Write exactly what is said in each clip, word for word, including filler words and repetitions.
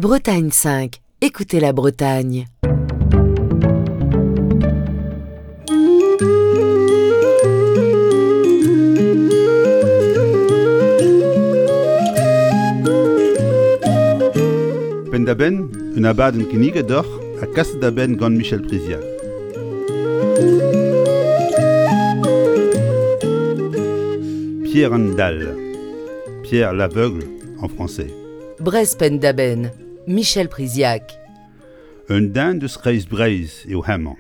Bretagne cinq, écoutez la Bretagne. Penn-da-benn, un abadenn kinniget deoc'h ha kaset da benn gant Michel Priziac. Pierre an Dall, Pierre l'Aveugle en français. Breizh Penn-da-Benn, Michel Priziac. Un den deus kreiz Breizh eo hemañ.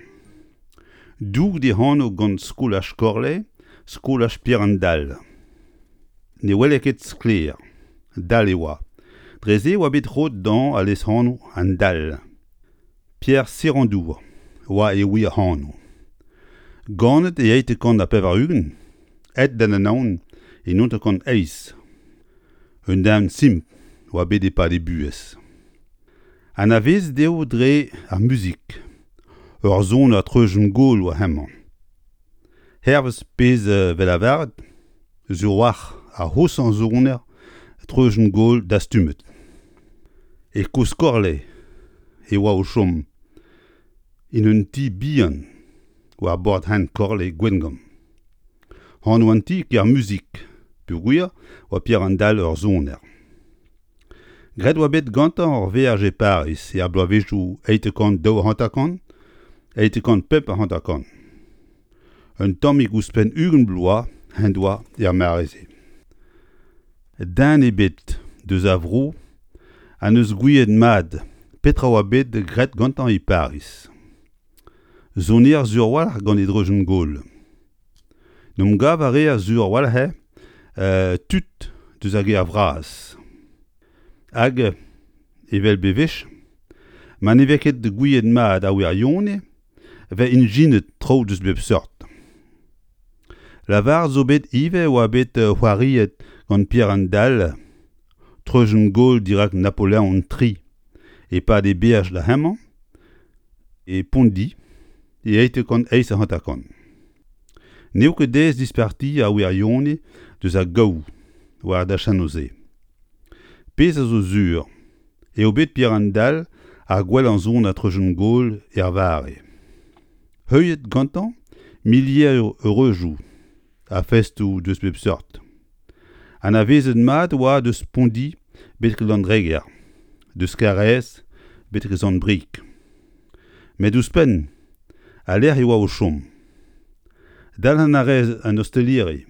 Doug d'e anv gant skolaj Korle, skolaj Pierre an Dall. Ne wele ket sklaer, dall e oa. Dre se e oa bet roet dezhañ al lesanv an Dall. Pierre Serandour oa e wir anv. Ganet e eizhtek kant ha pevar-ugent, aet d'an Anaon e naontek kant eizh. Un den simpl oa bet e-pad e buhez. Anavezet eo dre ar muzik. Ur soner treujenn-gaol oa hemañ. Hervez pezh 'vez lavaret, sur a-walc'h ar c'hoshañ soner treujenn-gaol dastumet. E Kozh-Korle e oa o chom, en un ti bihan war bord hent Korle Gwengamp. Anv an ti Kermuzik, peogwir oa Pierre an Dall ur soner. Graet oa bet gantañ ur veaj e Pariz er bloavezhioù eizhtek kant daou hanter-kant, eizhtek kant pemp ha hanter-kant. Un tammig ouzhpenn ugent bloaz en doa er mare-se. Den ebet deus ar vro ha n'eus gouiet mat petra oa bet graet gantañ e Pariz. Soner sur a-walc'h gant e dreujenn-gaol. N'em gav a reer sur a-walc'h eo euh, tud deus ar gêr vras. Hag, evel bewech, ma ne vez ket gouiet mat ar wirionez, 'vez ijinet traoù deus bep seurt. Lavaret zo bet ivez oa bet c'hoariet gant Pierre an Dall treujenn-gaol dirak Napoleon tri e-pad e beaj da hemañ e Pondi e eizhtek kant eizh ha hanter-kant. N'eo ket aes dispartiañ ar wirionez deus ar gaou war dachennoù-se. Pezh a zo sur eo bet Pierre an Dall ar gwellañ soner treujenn-gaol er mare. Heuliet gantañ milieroù eureujoù ha festoù deus bep seurt. Anavezet mat oa deus Pondi betek Landreger, deus Karaez betek Sant-Brieg. Met ouzhpenn, al lec'h e oa o chom. Dalc'hen a rez an osteliri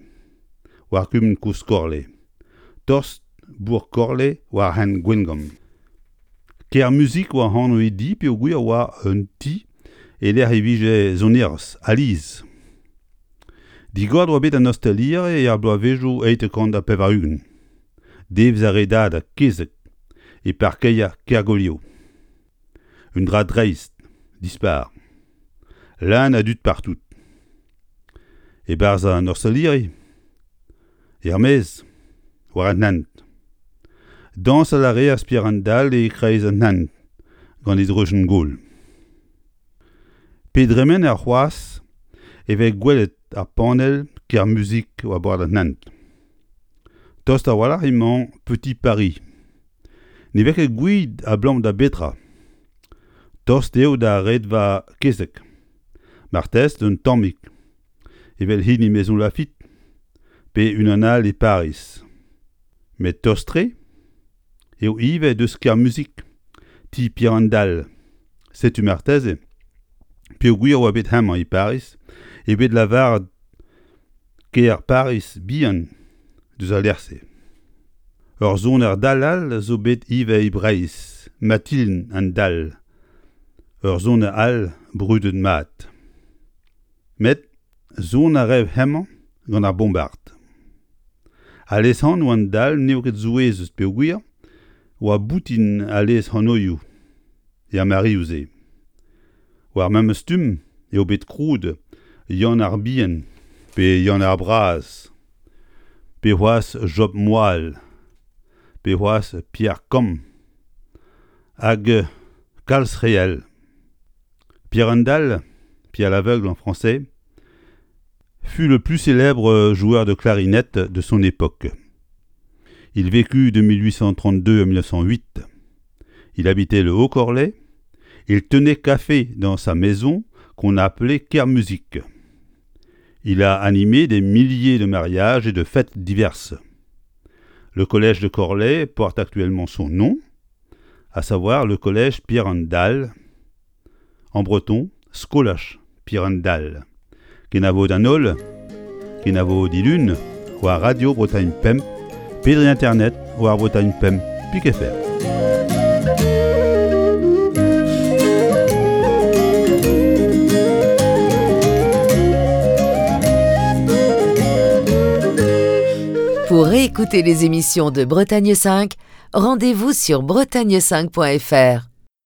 war kumun Kozh-Korle, tost bourk Korle war hent Gwengamp. Kermuzik oa anv e di peogwir oa un ti e lec'h e vije sonerezh, alies. Digoret oa bet an osteliri er bloavezhioù eizhtek kant ha pevar-ugent. Devezh ar redadeg kezeg e parkeier Kergolio. Un dra dreist, dispar. Leun a dud partout. E-barzh an osteliri, er-maez, war an hent. Dañsal a reas Pierre an Dall e-kreiz an hent gant e dreujenn-gaol. Pe dremener c'hoazh e vez gwelet ar panell Kermuzik war bord an hent. Tost a-walc'h emañ Petit Paris. Ne vez ket gouiet abalamour da betra. Tost eo da redva kezeg. Marteze un tammig, evel hini Maison Lafitte, pe unan all e Pariz. Met tost-tre eo ivez deus Kermuzik, ti Pierre an Dall. Setu marteze, peogwir oa bet hemañ e Pariz, eo bet lavaret kêr Pariz bihan deus al lec'h-se. Ur soner dall all zo bet ivez e Breizh, Mathilde an Dall, ur soner all brudet mat. Met son a rae hemañ gant ar bombard. Al lesanv an Dall n'eo ket souezhus peogwir oa boutin al lesanvioù er mareoù-se. War memes stumm eo bet krouet Yann ar Bihan pe Yann ar Braz, pe c'hoazh Job Moal, pe c'hoazh Pierre Kamm, hag kalz re all. Pierre an Dall, Pierre l'Aveugle en français, fut le plus célèbre joueur de clarinette de son époque. Il vécut de mille huit cent trente-deux à mille neuf cent huit. Il habitait le Haut-Corlay. Il tenait café dans sa maison qu'on appelait Kermusic. Il a animé des milliers de mariages et de fêtes diverses. Le collège de Corlay porte actuellement son nom, à savoir le collège Pierre an Dal, en breton, Skolaj Pierre an Dal. Kenavo d'an holl, kenavo dilun, war Radio Bretagne Pemp, pe dre internet war Bretagne Pemp, pik F R. Pour réécouter les émissions de Bretagne cinq, rendez-vous sur bretagne cinq point F R.